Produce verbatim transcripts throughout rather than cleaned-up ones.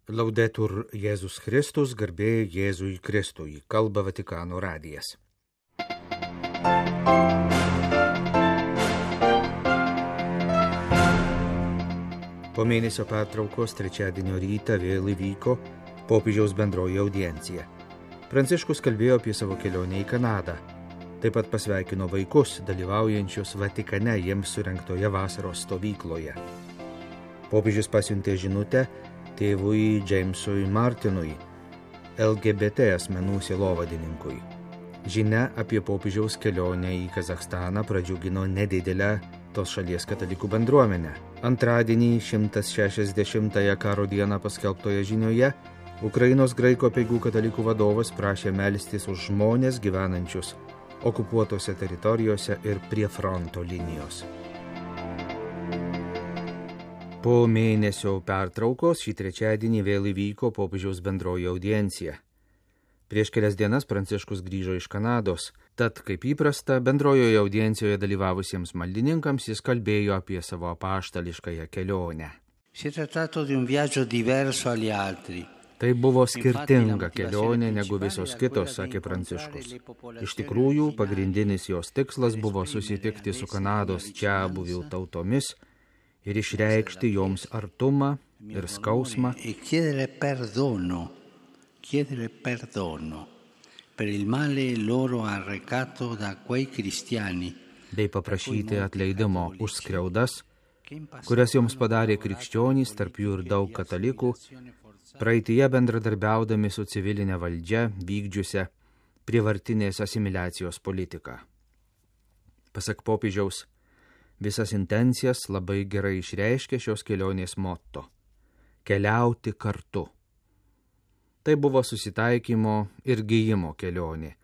Laudetur Jėzus Kristus, garbė Jėzui Kristui, kalba Vatikano radijas. Po mėnesio pertraukos trečiadienio rytą vėl įvyko popiežiaus bendroji audiencija. Pranciškus kalbėjo apie savo kelionę į Kanadą. Taip pat pasveikino vaikus, dalyvaujančius Vatikane jiems surengtoje vasaros stovykloje. Popiežius pasiuntė žinutę tėvui Jamesui Martinui, L G B T asmenų sielovadininkui. Žinia apie popiežiaus kelionę į Kazachstaną pradžiugino nedidelę tos šalies katalikų bendruomenę. Antradienį šimtas šešiasdešimtąją karo dieną paskelbtoje žinioje Ukrainos graikų apeigų katalikų vadovas prašė melstis už žmones gyvenančius okupuotose teritorijose ir prie fronto linijos. Po mėnesio pertraukos šį trečiadienį vėl įvyko popiežiaus bendroji audiencija. Prieš kelias dienas Pranciškus grįžo iš Kanados, tad, kaip įprasta, bendrojoje audiencijoje dalyvavusiems maldininkams jis kalbėjo apie savo apaštališkąją kelionę. Tai buvo skirtinga kelionė negu visos kitos, sakė Pranciškus. Iš tikrųjų, pagrindinis jos tikslas buvo susitikti su Kanados čiabuvių tautomis ir išreikšti joms artumą ir skausmą, bei paprašyti atleidimo už skriaudas, kurias joms padarė krikščionys, tarp jų ir daug katalikų, praeityje bendradarbiaudami su civilinė valdžia vykdžiusią prievartinės asimiliacijos politiką. Pasak popiežiaus, visas intencijas labai gerai išreiškė šios kelionės motto – keliauti kartu. Tai buvo susitaikymo ir gijimo kelionė,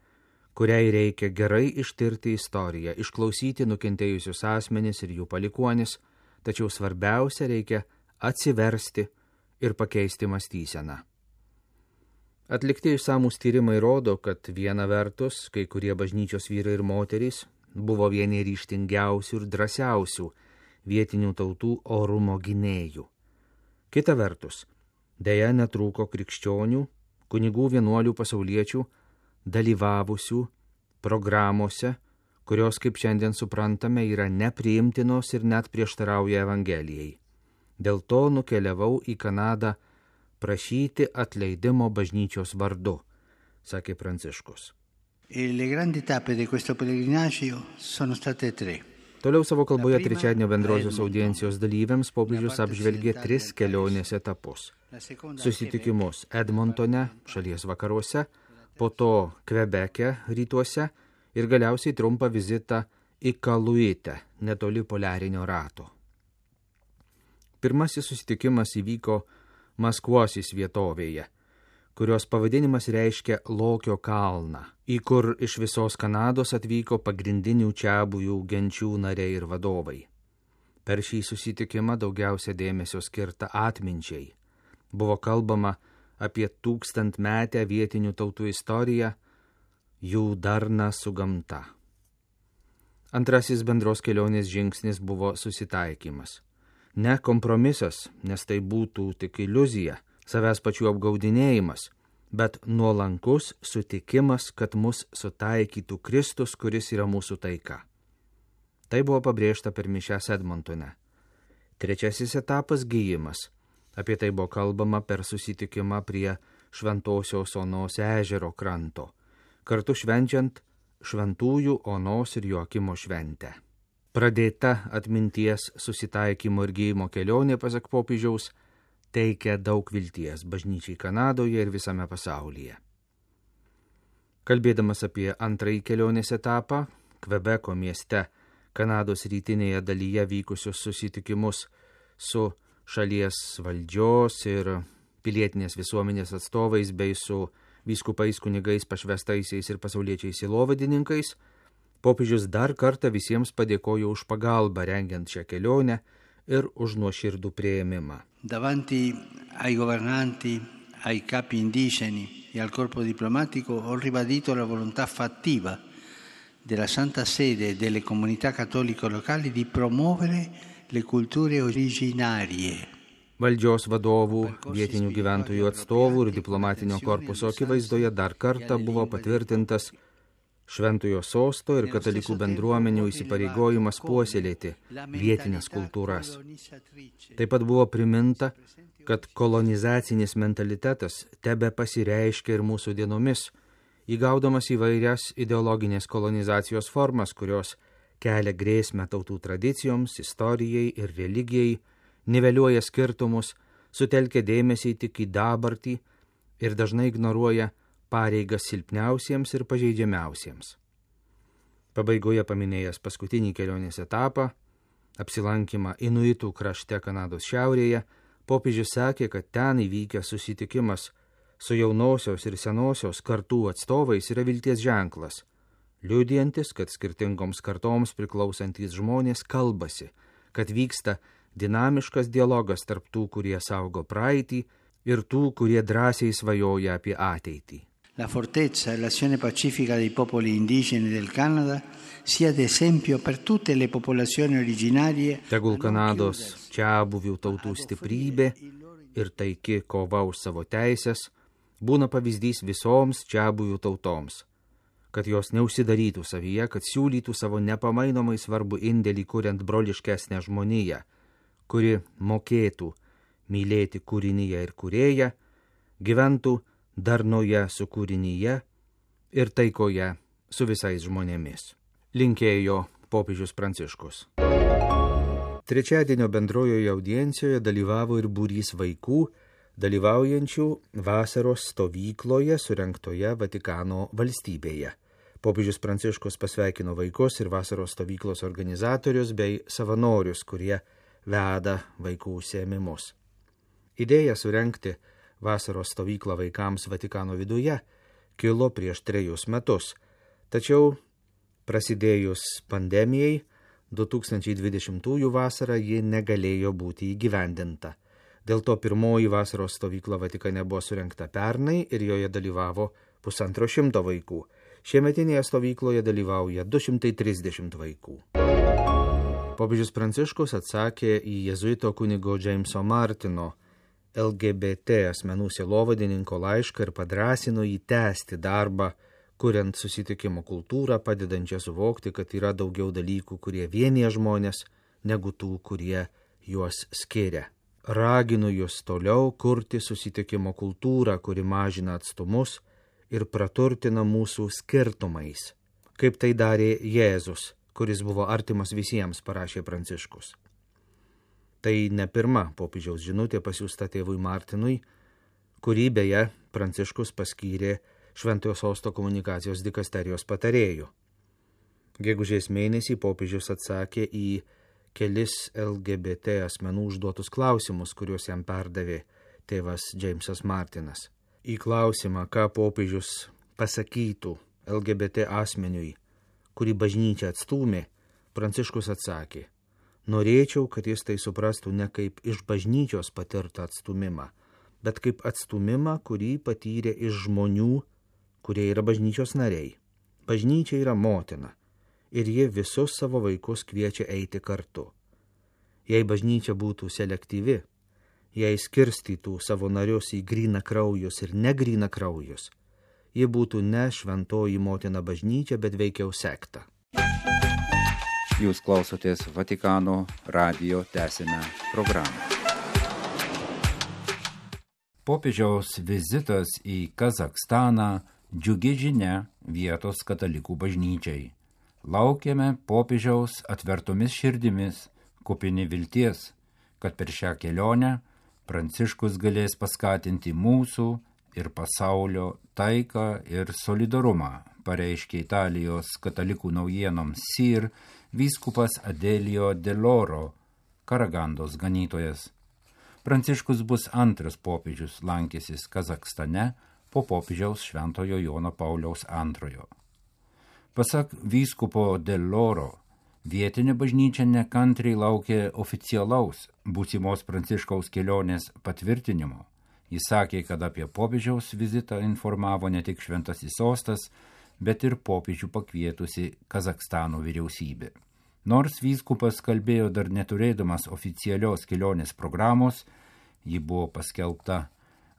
kuriai reikia gerai ištirti istoriją, išklausyti nukentėjusius asmenis ir jų palikuonis, tačiau svarbiausia reikia atsiversti ir pakeisti mąstyseną. Atlikti išsamūs tyrimai rodo, kad viena vertus, kai kurie bažnyčios vyrai ir moterys buvo vieni ryžtingiausių ir drąsiausių vietinių tautų orumo gynėjų. Kita vertus, deja netrūko krikščionių, kunigų vienuolių pasauliečių, dalyvavusių programuose, kurios, kaip šiandien suprantame, yra nepriimtinos ir net prieštarauja Evangelijai. Dėl to nukeliavau į Kanadą prašyti atleidimo bažnyčios vardu, sakė Pranciškus. Le grandi tappe di questo pellegrinaggio sono state tre. Toliau savo kalboje trečiadienio bendrosios audiencijos dalyviams popiežius apžvelgė tris kelionės etapus. Susitikimus Edmontone, šalies vakaruose, po to Kvebeke, rytuose ir galiausiai trumpą vizitą į Kaluitę, netoli poliarinio rato. Pirmasis susitikimas įvyko Maskvosis vietovėje, kurios pavadinimas reiškia Lokio kalną, į kur iš visos Kanados atvyko pagrindinių čiabuvių genčių nariai ir vadovai. Per šį susitikimą daugiausia dėmesio skirta atminčiai. Buvo kalbama apie tūkstantmetę vietinių tautų istoriją, jų darną su gamta. Antrasis bendros kelionės žingsnis buvo susitaikymas. Ne kompromisas, nes tai būtų tik iliuzija, savęs pačių apgaudinėjimas, bet nuolankus sutikimas, kad mus sutaikytų Kristus, kuris yra mūsų taika. Tai buvo pabrėžta per mišias Edmontone. Trečiasis etapas – gijimas. Apie tai buvo kalbama per susitikimą prie Šventosios Onos ežero kranto, kartu švenčiant šventųjų Onos ir Joakimo šventę. Pradėta atminties susitaikymo ir gijimo kelionė, pasak popiežiaus, teikia daug vilties bažnyčiai Kanadoje ir visame pasaulyje. Kalbėdamas apie antrąjį kelionės etapą, Kvebeko mieste, Kanados rytinėje dalyje vykusius susitikimus su šalies valdžios ir pilietinės visuomenės atstovais bei su vyskupais, kunigais, pašvestaisiais ir pasauliečiais sielovadininkais, popiežius dar kartą visiems padėkojo už pagalbą rengiant šią kelionę ir už nuoširdų priėmimą. Davanti ai governanti, ai capi indigeni e al corpo diplomatico ho ribadito la volontà fattiva della Santa Sede e delle comunità cattoliche locali di promuovere le culture originarie. Valdžios vadovų, vietinių gyventojų atstovų ir diplomatinio korpuso akivaizdoje dar kartą buvo patvirtintas Šventojo sosto ir katalikų bendruomenių įsipareigojimas puoselėti vietinės kultūras. Taip pat buvo priminta, kad kolonizacinis mentalitetas tebe pasireiškia ir mūsų dienomis, įgaudamas įvairias ideologinės kolonizacijos formas, kurios kelia grėsmę tautų tradicijoms, istorijai ir religijai, niveliuoja skirtumus, sutelkia dėmesį tik į dabartį ir dažnai ignoruoja pareigas silpniausiems ir pažeidžiamiausiems. Pabaigoje paminėjęs paskutinį kelionės etapą, apsilankymą Inuitų krašte Kanados šiaurėje, popiežius sakė, kad ten įvykęs susitikimas su jaunosios ir senosios kartų atstovais yra vilties ženklas, liudijantis, kad skirtingoms kartoms priklausantys žmonės kalbasi, kad vyksta dinamiškas dialogas tarp tų, kurie saugo praeitį, ir tų, kurie drąsiai svajoja apie ateitį. La fortezza e l'azione pacifica dei popoli indigeni del Canada sia d'esempio per tutte le popolazioni originarie. Tegul Kanados čiabuvių tautų stiprybė ir taiki kova už savo teisės būna pavyzdys visoms čiabuvių tautoms, kad jos neužsidarytų savyje, kad siūlytų savo nepamainomai svarbu indėlį kuriant broliškesnę žmoniją, kuri mokėtų mylėti kūrinyje ir kūrėją, gyventų darnoje su kūrinyje ir taikoje su visais žmonėmis. Linkėjo popiežius Pranciškus. Trečiadienio bendrojoje audiencijoje dalyvavo ir būrys vaikų, dalyvaujančių vasaros stovykloje surengtoje Vatikano valstybėje. Popiežius Pranciškus pasveikino vaikus ir vasaros stovyklos organizatorius bei savanorius, kurie veda vaikų užsiėmimus. Idėja surengti vasaros stovyklą vaikams Vatikano viduje kilo prieš trejus metus, tačiau prasidėjus pandemijai du tūkstančiai dvidešimtųjų vasarą ji negalėjo būti įgyvendinta. Dėl to pirmoji vasaros stovykla Vatikane buvo surengta pernai ir joje dalyvavo pusantro šimto vaikų. Šiemetinėje stovykloje dalyvauja du šimtai trisdešimt vaikų. Popiežius Pranciškus atsakė į jėzuito kunigo Jameso Martino L G B T asmenų sielovadininko laišką ir padrąsino jį tęsti darbą, kuriant susitikimo kultūrą, padedančią suvokti, kad yra daugiau dalykų, kurie vienyje žmonės, negu tų, kurie juos skiria. Raginu jūs toliau kurti susitikimo kultūrą, kuri mažina atstumus ir praturtina mūsų skirtumais, kaip tai darė Jėzus, kuris buvo artimas visiems, parašė Pranciškus. Tai ne pirma popiežiaus žinutė pasiųsta tėvui Martinui, kurį beje Pranciškus paskyrė Šventojo sosto komunikacijos dikasterijos patarėjų. Gegužės mėnesį popiežius atsakė į kelis L G B T asmenų užduotus klausimus, kuriuos jam perdavė tėvas Jamesas Martinas. Į klausimą, ką popiežius pasakytų L G B T asmeniui, kurį bažnyčia atstūmė, Pranciškus atsakė: norėčiau, kad jis tai suprastų ne kaip iš bažnyčios patirtą atstūmimą, bet kaip atstūmimą, kurį patyrė iš žmonių, kurie yra bažnyčios nariai. Bažnyčia yra motina ir ji visus savo vaikus kviečia eiti kartu. Jei bažnyčia būtų selektyvi, jei skirstytų savo narius į gryna kraujus ir negryna kraujus, ji būtų ne šventoji motina bažnyčia, bet veikiau sekta. Jūs klausotės Vatikano radijo tęsinę programą. Popiežiaus vizitas į Kazachstaną džiugi žinia vietos katalikų bažnyčiai. Laukiame popiežiaus atvertomis širdimis, kupini vilties, kad per šią kelionę Pranciškus galės paskatinti mūsų ir pasaulio taiką ir solidarumą, pareiškė Italijos katalikų naujienoms S I R vyskupas Adelio Deloro, Karagandos ganytojas. Pranciškus bus antras popiežius lankęsis Kazachstane po popiežiaus Šventojo Jono Pauliaus antrojo. Pasak vyskupo Deloro, vietinė bažnyčia nekantriai laukia oficialaus būsimos Pranciškaus kelionės patvirtinimo. Jis sakė, kad apie popiežiaus vizitą informavo ne tik Šventasis sostas, bet ir popiežių pakvietusi Kazachstano vyriausybė. Nors vyskupas kalbėjo dar neturėdamas oficialios kelionės programos, Ji buvo paskelbta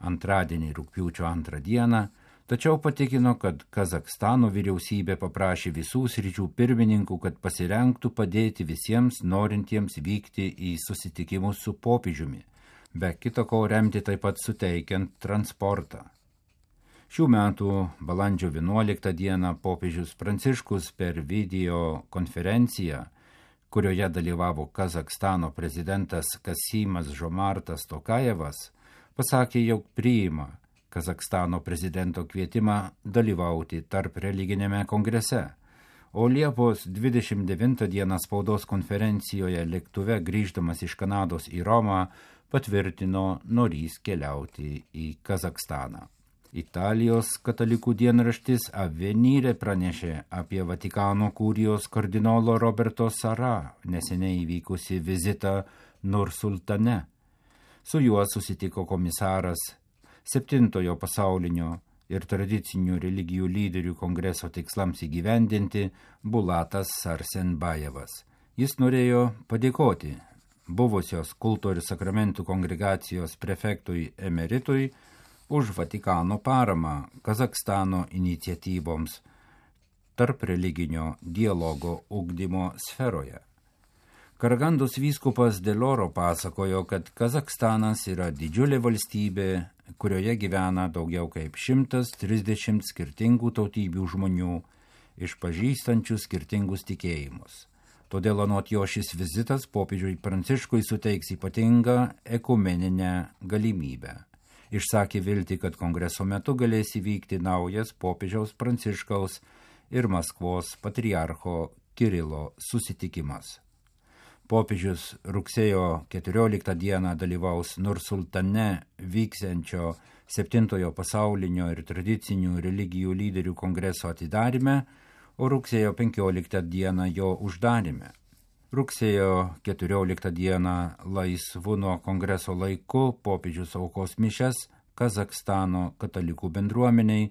antradienį rugpjūčio antrą dieną, tačiau patikino, kad Kazakstano vyriausybė paprašė visų sričių pirmininkų, kad pasirengtų padėti visiems norintiems vykti į susitikimus su popiežiumi, be kita ko remti taip pat suteikiant transportą. Šių metų balandžio vienuoliktą dieną popiežius Pranciškus per video konferenciją, kurioje dalyvavo Kazakstano prezidentas Kasymas Žomartas Tokajevas, pasakė, jog priima Kazakstano prezidento kvietimą dalyvauti tarp religinėme kongrese, o Liepos dvidešimt devintą dieną spaudos konferencijoje lėktuve grįždamas iš Kanados į Romą patvirtino norys keliauti į Kazakstaną. Italijos katalikų dienraštis Avvenire pranešė apie Vatikano kurijos kardinolo Roberto Sara neseniai įvykusi vizitą Nursultane. Su juo susitiko komisaras septintojo pasaulinio ir tradicinių religijų lyderių kongreso tikslams įgyvendinti Bulatas Sarsenbajevas. Jis norėjo padėkoti buvusios kulto ir sakramentų kongregacijos prefektui emeritui už Vatikano paramą Kazakstano iniciatyvoms tarp religinio dialogo ugdymo sferoje. Karagandos vyskupas Deloro pasakojo, kad Kazakstanas yra didžiulė valstybė, kurioje gyvena daugiau kaip šimtas trisdešimt skirtingų tautybių žmonių, išpažįstančių skirtingus tikėjimus. Todėl anot jo šis vizitas popiežiui Pranciškui suteiks ypatingą ekumeninę galimybę. Išsakė viltį, kad kongreso metu galės įvykti naujas popiežiaus Pranciškaus ir Maskvos patriarcho Kirilo susitikimas. Popiežius rugsėjo keturioliktą dieną dalyvaus Nursultane vyksiančio septintojo pasaulinio ir tradicinių religijų lyderių kongreso atidaryme, o rugsėjo penkioliktą dieną jo uždaryme. Rugsėjo keturioliktą dieną laisvu nuo kongreso laiku popiežius aukos mišias Kazakstano katalikų bendruomeniai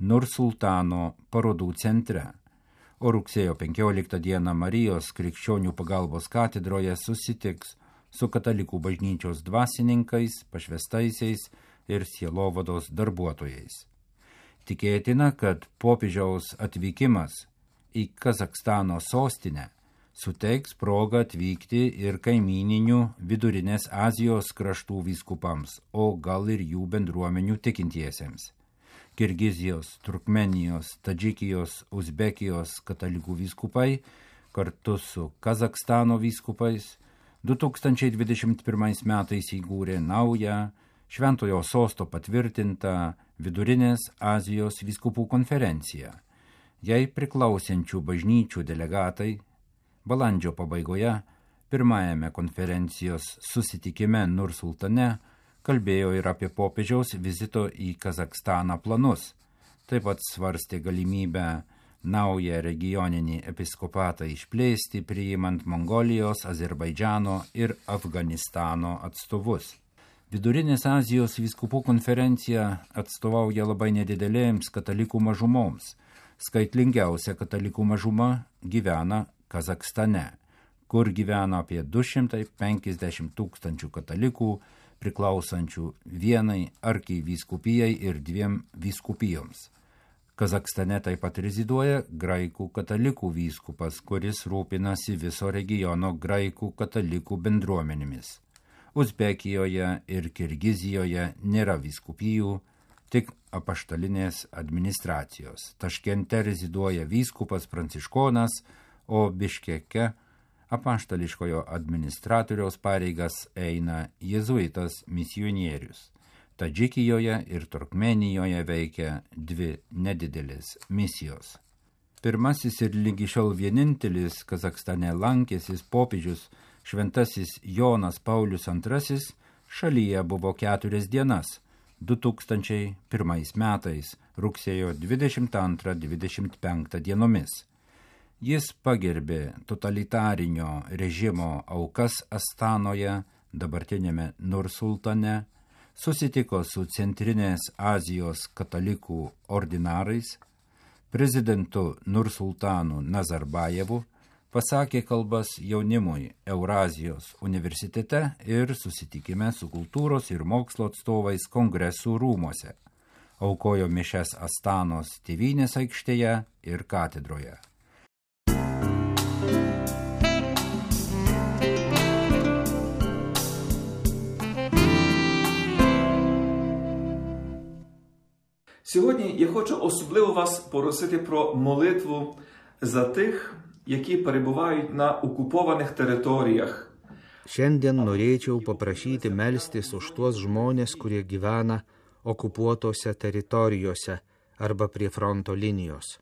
Nursultano parodų centre. O rugsėjo penkioliktą dieną Marijos krikščionių pagalbos katedroje susitiks su katalikų bažnyčios dvasininkais, pašvestaisiais ir sielovados darbuotojais. Tikėtina, kad popiežiaus atvykimas į Kazakstano sostinę suteiks progą atvykti ir kaimyninių Vidurinės Azijos kraštų vyskupams, o gal ir jų bendruomenių tikintiesiems. Kirgizijos, Turkmenijos, Tadžikijos, Uzbekijos katalikų vyskupai kartu su Kazakstano vyskupais du tūkstančiai dvidešimt pirmais metais įkūrė naują Šventojo sosto patvirtintą Vidurinės Azijos vyskupų konferenciją. Jai priklausiančių bažnyčių delegatai balandžio pabaigoje pirmajame konferencijos susitikime Nursultane kalbėjo ir apie popiežiaus vizito į Kazakstaną planus. Taip pat svarstė galimybę naują regioninį episkopatą išplėsti, priimant Mongolijos, Azerbaidžano ir Afganistano atstovus. Vidurinės Azijos vyskupų konferencija atstovauja labai nedidelėms katalikų mažumoms. Skaitlingiausia katalikų mažuma gyvena Kazakstane, kur gyvena apie du šimtai penkiasdešimt tūkstančių katalikų, priklausančių vienai arkivyskupijai ir dviem vyskupijoms. Kazakstane taip pat reziduoja graikų katalikų vyskupas, kuris rūpinasi viso regiono graikų katalikų bendruomenėmis. Uzbekijoje ir Kirgizijoje nėra vyskupijų, tik apaštalinės administracijos. Taškente reziduoja vyskupas pranciškonas, o Biškeke apaštališkojo administratoriaus pareigas eina jėzuitas misionierius. Tadžikijoje ir Turkmenijoje veikia dvi nedidelės misijos. Pirmasis ir lygi šiol vienintelis Kazakstane lankęsis popiežius šventasis Jonas Paulius antrasis šalyje buvo keturias dienas du tūkstančiai pirmais metais rugsėjo dvidešimt antrą dvidešimt penktą dienomis. Jis pagerbė totalitarinio režimo aukas Astanoje, dabartinėme Nursultane, susitiko su Centrinės Azijos katalikų ordinarais, prezidentu Nursultanu Nazarbajevu, pasakė kalbas jaunimui Eurazijos universitete ir susitikime su kultūros ir mokslo atstovais kongresų rūmuose. Aukojo mišias Astanos Tėvynės aikštėje ir katedroje. Сьогодні я хочу особливо вас просити про молитву за тих, які перебувають на окупованих територіях. Šiandien norėčiau paprašyti melstis už tuos žmonės, kurie gyvena okupuotose teritorijose arba prie fronto linijos.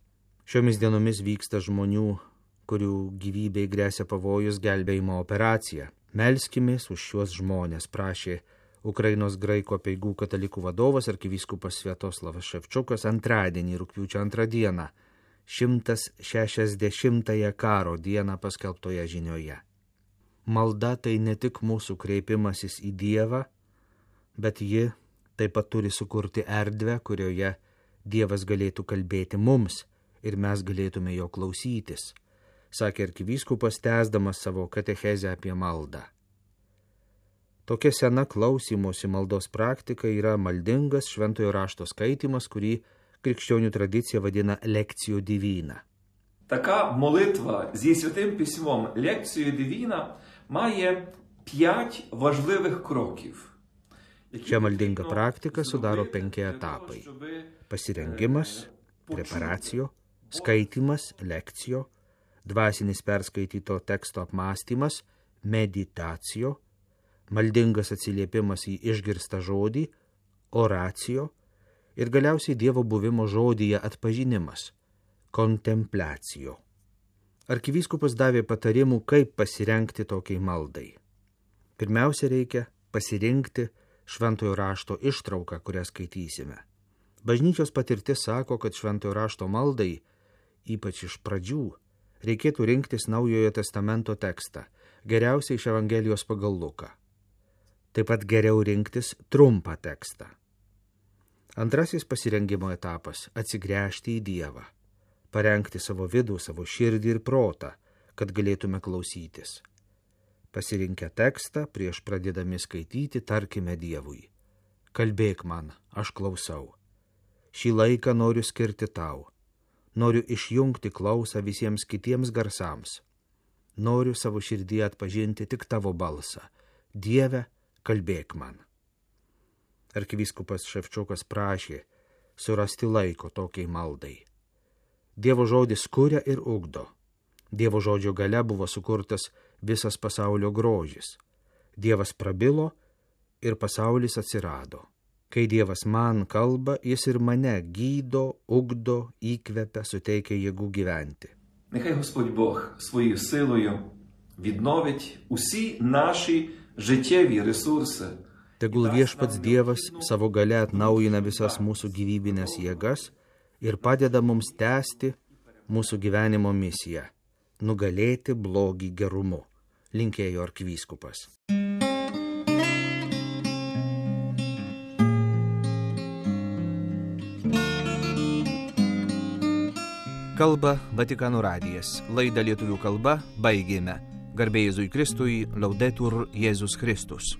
Šiomis dienomis vyksta žmonių, kurių gyvybei gresia pavojus, gelbėjimo operacija. Melskimės už šiuos žmonės, prašė Ukrainos graikų apeigų katalikų vadovas arkivyskupas Sviatoslavas Ševčiukas antradienį, rugpjūčio antrą dieną, šimtas šešiasdešimtąją karo dieną paskelbtoje žinioje. Malda tai ne tik mūsų kreipimasis į Dievą, bet ji taip pat turi sukurti erdvę, kurioje Dievas galėtų kalbėti mums ir mes galėtume jo klausytis, sakė arkivyskupas, tęsdamas savo katechezę apie maldą. Tokia sena klausymosi maldos praktika yra maldingas šventojo rašto skaitymas, kurį krikščionių tradicija vadina лекцією дивіна. Така молитва зі Святим Письмом лекцією дивіна має п'ять важливих кроків. Šią maldingą praktiką sudaro penki etapai: pasirengimas, preparacijo, skaitymas, lekcijo, dvasinis perskaityto teksto apmąstymas, meditacijo, maldingas atsiliepimas į išgirstą žodį, oracijo ir galiausiai Dievo buvimo žodyje atpažinimas, kontempliacijo. Arkivyskupas davė patarimų, kaip pasirengti tokiai maldai. Pirmiausia, reikia pasirinkti šventojo rašto ištrauką, kurią skaitysime. Bažnyčios patirtis sako, kad šventojo rašto maldai, ypač iš pradžių, reikėtų rinktis Naujojo testamento tekstą, geriausiai iš Evangelijos pagal Luką. Taip pat geriau rinktis trumpą tekstą. Antrasis pasirengimo etapas – atsigręžti į Dievą, parengti savo vidų, savo širdį ir protą, kad galėtume klausytis. Pasirinkę tekstą, prieš pradėdami skaityti, tarkime Dievui: kalbėk man, aš klausau. Šį laiką noriu skirti tau. Noriu išjungti klausą visiems kitiems garsams. Noriu savo širdyje atpažinti tik tavo balsą. Dieve, kalbėk man. Arkivyskupas Ševčiukas prašė surasti laiko tokiai maldai. Dievo žodis kuria ir ugdo. Dievo žodžio gale buvo sukurtas visas pasaulio grožis. Dievas prabilo ir pasaulis atsirado. Kai Dievas man kalba, jis ir mane gydo, ugdo, įkvepia, suteikia jėgų gyventi. Нехай Господь Бог своєю силою відновить усі наші життєві ресурси. Tegul viešpats Dievas savo gale atnaujina visas mūsų gyvybinės jėgas ir padeda mums tęsti mūsų gyvenimo misiją – nugalėti blogį gerumu, linkėjo arkivyskupas. Kalba Vatikano radijas. Laidą lietuvių kalba baigėme. Garbė Jėzui Kristui, Laudetur Jėzus Kristus.